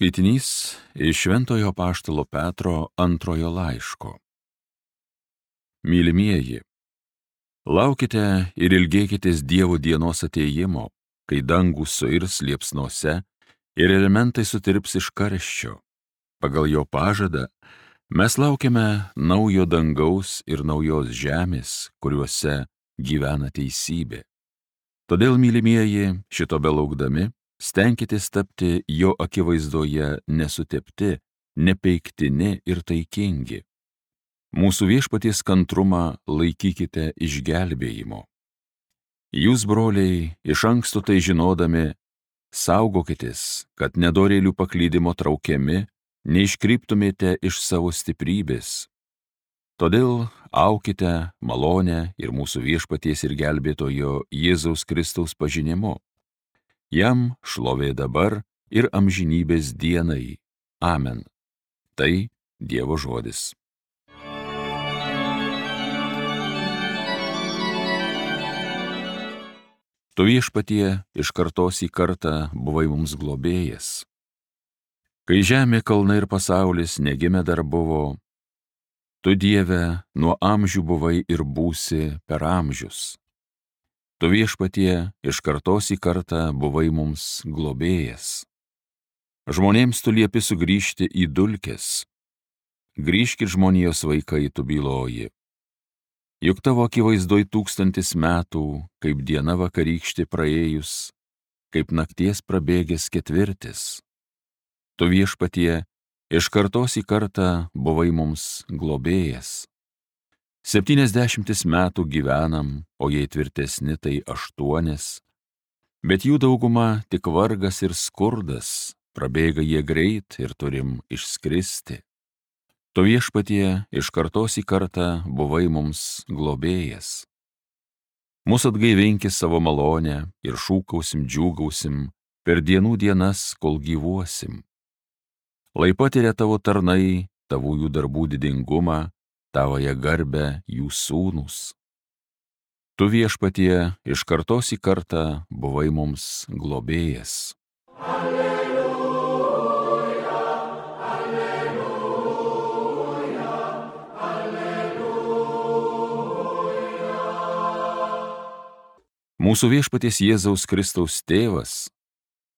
Skaitinys iš Šventojo apaštalo Petro antrojo laiško. Mylimieji, laukite ir ilgėkitės Dievo dienos atėjimo, kai dangus suirs liepsnose ir elementai sutirps iš karščio. Pagal jo pažadą mes laukiame naujo dangaus ir naujos žemės, kuriuose gyvena teisybė. Todėl, mylimieji, šito belaukdami, stenkitės tapti jo akivaizdoje nesutepti, nepeiktini ir taikingi. Mūsų viešpaties kantrumą laikykite išgelbėjimo. Jūs, broliai, iš anksto tai žinodami, saugokitės, kad nedorėlių paklydimo traukiami, neiškryptumėte iš savo stiprybės. Todėl aukite malonę ir mūsų viešpaties ir gelbėtojo Jėzaus Kristaus pažinimu. Jam šlovė dabar ir amžinybės dienai. Amen. Tai Dievo žodis. Tu, viešpatie, iš kartos į kartą buvai mums globėjas. Kai žemė, kalnai ir pasaulis negimę dar buvo, tu, Dieve, nuo amžių buvai ir būsi per amžius. Tu, viešpatie, iš kartos į kartą buvai mums globėjas. Žmonėms tu liepi sugrįžti į dulkes. Grįžkit, žmonijos vaikai, tu byloji. Juk tavo akivaizdoj 1000 metų, kaip diena vakarykštė praėjus, kaip nakties prabėgęs ketvirtis. Tu, viešpatie, iš kartos į kartą buvai mums globėjas. 70 metų gyvenam, o jei tvirtesni tai 8, bet jų dauguma tik vargas ir skurdas, prabėga jie greit ir turim išskristi. Tu, viešpatie, iš kartos į kartą buvai mums globėjas. Mūsų atgaivinkis savo malonę ir šūkausim, džiūgausim per dienų dienas, kol gyvuosim. Lai patiria tavo tarnai, tavųjų darbų didingumą, tavoje garbę jų sūnūs. Tu, viešpatie, iš kartos į kartą buvai mums globėjas. Alleluja, alleluja, alleluja. Mūsų viešpaties Jėzaus Kristaus tėvas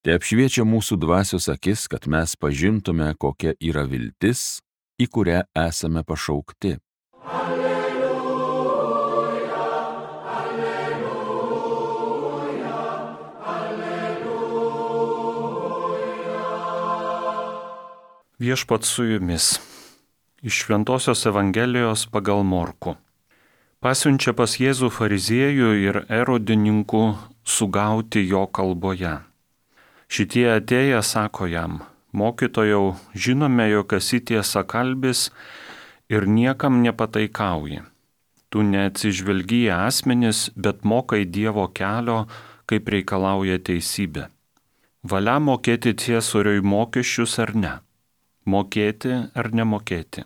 te apšviečia mūsų dvasios akis, kad mes pažintume, kokia yra viltis, į kurią esame pašaukti. Alleluja, alleluja, alleluja. Viešpats su jumis. Iš Šventosios Evangelijos pagal Morkų. Pasiunčia pas Jėzų fariziejų ir erodininkų sugauti jo kalboje. Šitie atėję sako jam: Mokytojau, žinome, jog esi tiesakalbis ir niekam nepataikauji. Tu neatsižvelgi į asmenis, bet mokai Dievo kelio, kaip reikalauja teisybė. Valia mokėti ciesoriui mokesčius ar ne? Mokėti ar nemokėti?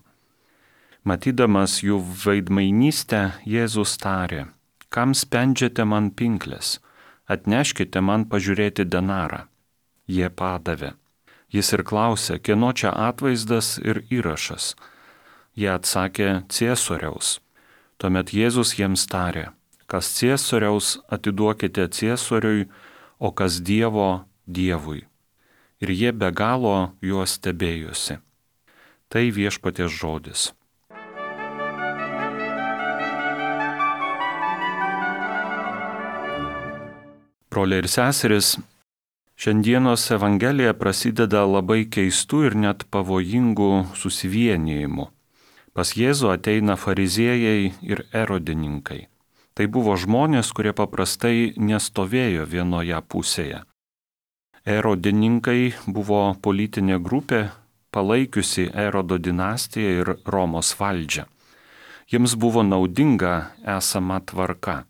Matydamas jų veidmainystę, Jėzus tarė: Kam spendžiate man pinkles? Atneškite man pažiūrėti denarą. Jie padavė. Jis ir klausė, kieno čia atvaizdas ir įrašas. Jie atsakė, ciesoriaus. Tuomet Jėzus jiems tarė: Kas ciesoriaus, atiduokite ciesoriui, o kas Dievo, Dievui. Ir jie be galo juos stebėjosi. Tai viešpaties žodis. Broliai ir seserys, šiandienos Evangelija prasideda labai keistų ir net pavojingų susivienijimų. Pas Jėzų ateina fariziejai ir erodininkai. Tai buvo žmonės, kurie paprastai nestovėjo vienoje pusėje. Erodininkai buvo politinė grupė, palaikiusi Erodo dinastiją ir Romos valdžią. Jiems buvo naudinga esama tvarka.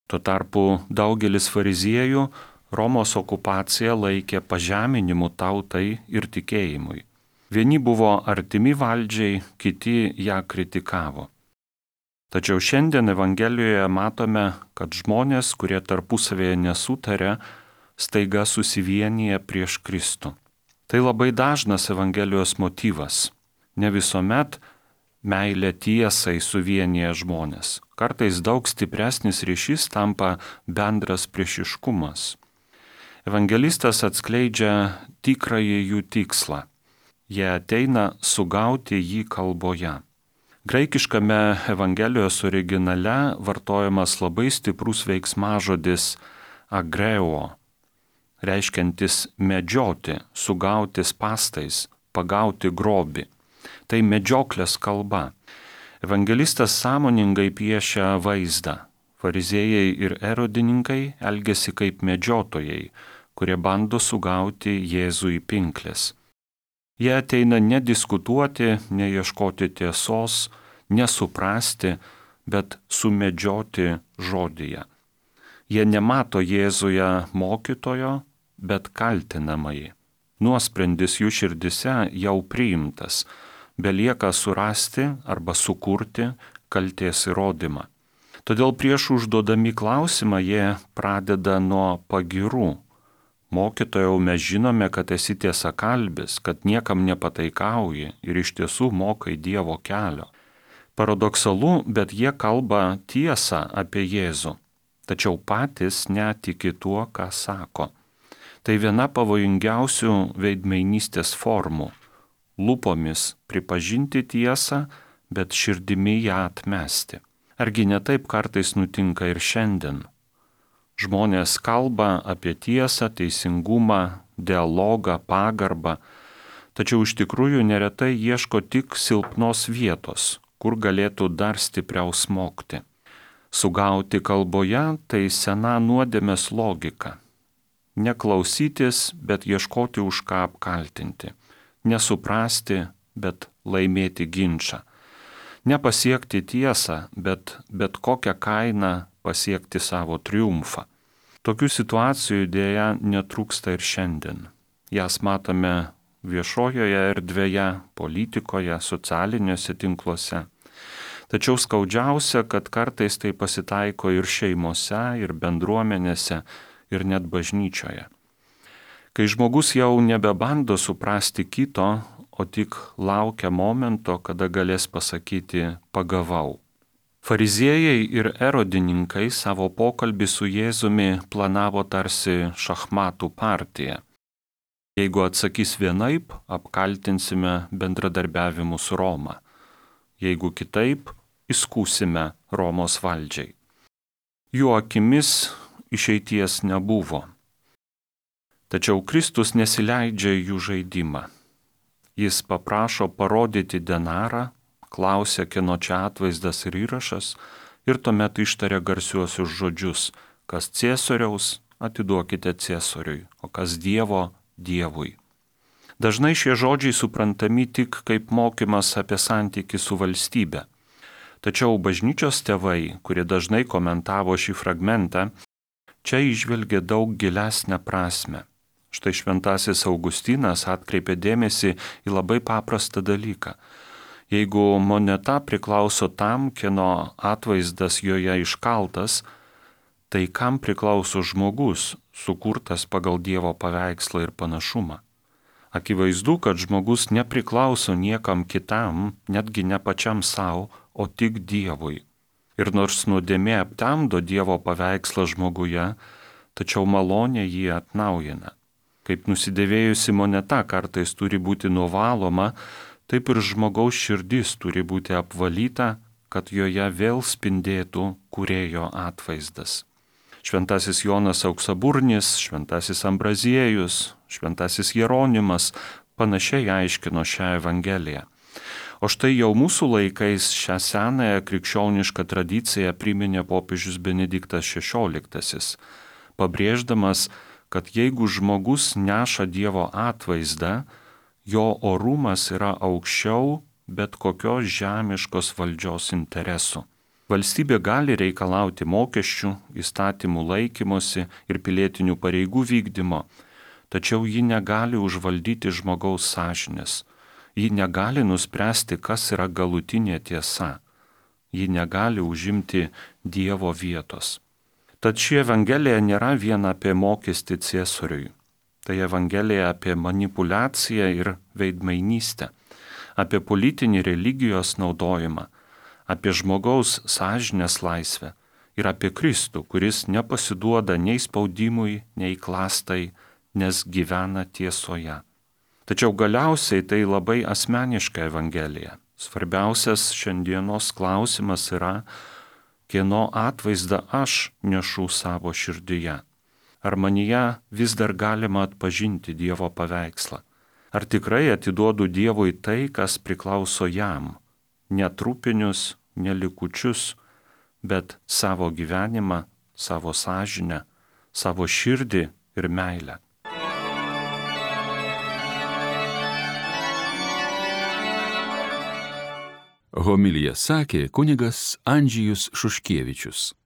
Tuo tarpu daugelis fariziejų Romos okupaciją laikė pažeminimu tautai ir tikėjimui. Vieni buvo artimi valdžiai, kiti ją kritikavo. Tačiau šiandien Evangelijoje matome, kad žmonės, kurie tarpusavėje nesutarė, staiga susivienyje prieš Kristų. Tai labai dažnas Evangelijos motyvas. Ne visuomet meilė tiesai suvienyje žmonės. Kartais daug stipresnis ryšys tampa bendras priešiškumas. Evangelistas atskleidžia tikrąjį jų tikslą. Jie ateina sugauti jį kalboje. Graikiškame Evangelijos originale vartojamas labai stiprus veiksmažodis agreo, reiškiantis medžioti, sugauti spąstais, pagauti grobį. Tai medžioklės kalba. Evangelistas sąmoningai piešia vaizdą. Fariziejai ir erodininkai elgesi kaip medžiotojai, kurie bando sugauti Jėzų į pinkles. Jie ateina nediskutuoti, neieškoti tiesos, nesuprasti, bet sumedžioti žodyje. Jie nemato Jėzuje mokytojo, bet kaltinamąjį. Nuosprendis jų širdise jau priimtas. Belieka surasti arba sukurti kaltės įrodymą. Todėl prieš užduodami klausimą jie pradeda nuo pagyrų. Mokytojau, mes žinome, kad esi tiesakalbis, kad niekam nepataikauji ir iš tiesų mokai Dievo kelio. Paradoksalu, bet jie kalba tiesą apie Jėzų, tačiau patys netiki tuo, ką sako. Tai viena pavojingiausių veidmainystės formų. Lūpomis pripažinti tiesą, bet širdimi ją atmesti. Argi ne taip kartais nutinka ir šiandien? Žmonės kalba apie tiesą, teisingumą, dialogą, pagarbą, tačiau iš tikrųjų neretai ieško tik silpnos vietos, kur galėtų dar stipriau smogti. Sugauti kalboje tai sena nuodėmės logika. Neklausytis, bet ieškoti už ką apkaltinti. Nesuprasti, bet laimėti ginčą. Nepasiekti tiesą, bet kokią kainą pasiekti savo triumfą. Tokių situacijų dėja netrūksta ir šiandien. Jas matome viešojoje erdvėje, politikoje, socialiniuose tinkluose. Tačiau skaudžiausia, kad kartais tai pasitaiko ir šeimose, ir bendruomenėse, ir net bažnyčioje. Kai žmogus jau nebebando suprasti kito, o tik laukia momento, kada galės pasakyti pagavau. Fariziejai ir erodininkai savo pokalbį su Jėzumi planavo tarsi šachmatų partiją. Jeigu atsakys vienaip, apkaltinsime bendradarbiavimu su Roma. Jeigu kitaip, įskųsime Romos valdžiai. Jų akimis išeities nebuvo. Tačiau Kristus nesileidžia jų žaidimą. Jis paprašo parodyti denarą, klausia, kieno čia atvaizdas ir įrašas, ir tuomet ištaria garsiuosius žodžius, kas Ciesoriaus, atiduokite Ciesoriui, o kas Dievo, Dievui. Dažnai šie žodžiai suprantami tik kaip mokymas apie santykį su valstybe. Tačiau bažnyčios tėvai, kurie dažnai komentavo šį fragmentą, čia įžvelgė daug gilesnę prasmę. Štai šventasis Augustinas atkreipė dėmesį į labai paprastą dalyką. Jeigu moneta priklauso tam, kieno atvaizdas joje iškaltas, tai kam priklauso žmogus, sukurtas pagal Dievo paveikslą ir panašumą? Akivaizdu, kad žmogus nepriklauso niekam kitam, netgi ne pačiam savo, o tik Dievui. Ir nors nuodėmė aptemdo Dievo paveikslą žmoguje, tačiau malonė jį atnaujina. Kaip nusidėvėjusi moneta kartais turi būti nuvaloma, taip ir žmogaus širdis turi būti apvalyta, kad joje vėl spindėtų Kūrėjo atvaizdas. Šventasis Jonas Auksaburnis, šventasis Ambraziejus, šventasis Jeronimas panašiai aiškino šią Evangeliją. O štai jau mūsų laikais šią senąją krikščionišką tradiciją priminė popiežius Benediktas XVI, pabrėždamas, kad jeigu žmogus neša Dievo atvaizdą, jo orumas yra aukščiau bet kokios žemiškos valdžios interesų. Valstybė gali reikalauti mokesčių, įstatymų laikymosi ir pilietinių pareigų vykdymo, tačiau ji negali užvaldyti žmogaus sąžinės. Ji negali nuspręsti, kas yra galutinė tiesa. Ji negali užimti Dievo vietos. Tad ši Evangelija nėra vien apie mokestį Ciesoriui. Tai Evangelija apie manipulaciją ir veidmainystę, apie politinį religijos naudojimą, apie žmogaus sąžinės laisvę ir apie Kristų, kuris nepasiduoda nei spaudimui, nei klastai, nes gyvena tiesoje. Tačiau galiausiai tai labai asmeniška Evangelija. Svarbiausias šiandienos klausimas yra, kieno atvaizdą aš nešu savo širdyje. Ar manyje vis dar galima atpažinti Dievo paveikslą? Ar tikrai atiduodu Dievui tai, kas priklauso jam? Ne trupinius, ne likučius, bet savo gyvenimą, savo sąžinę, savo širdį ir meilę. Homiliją sakė kunigas Andžejus Šuškievičius.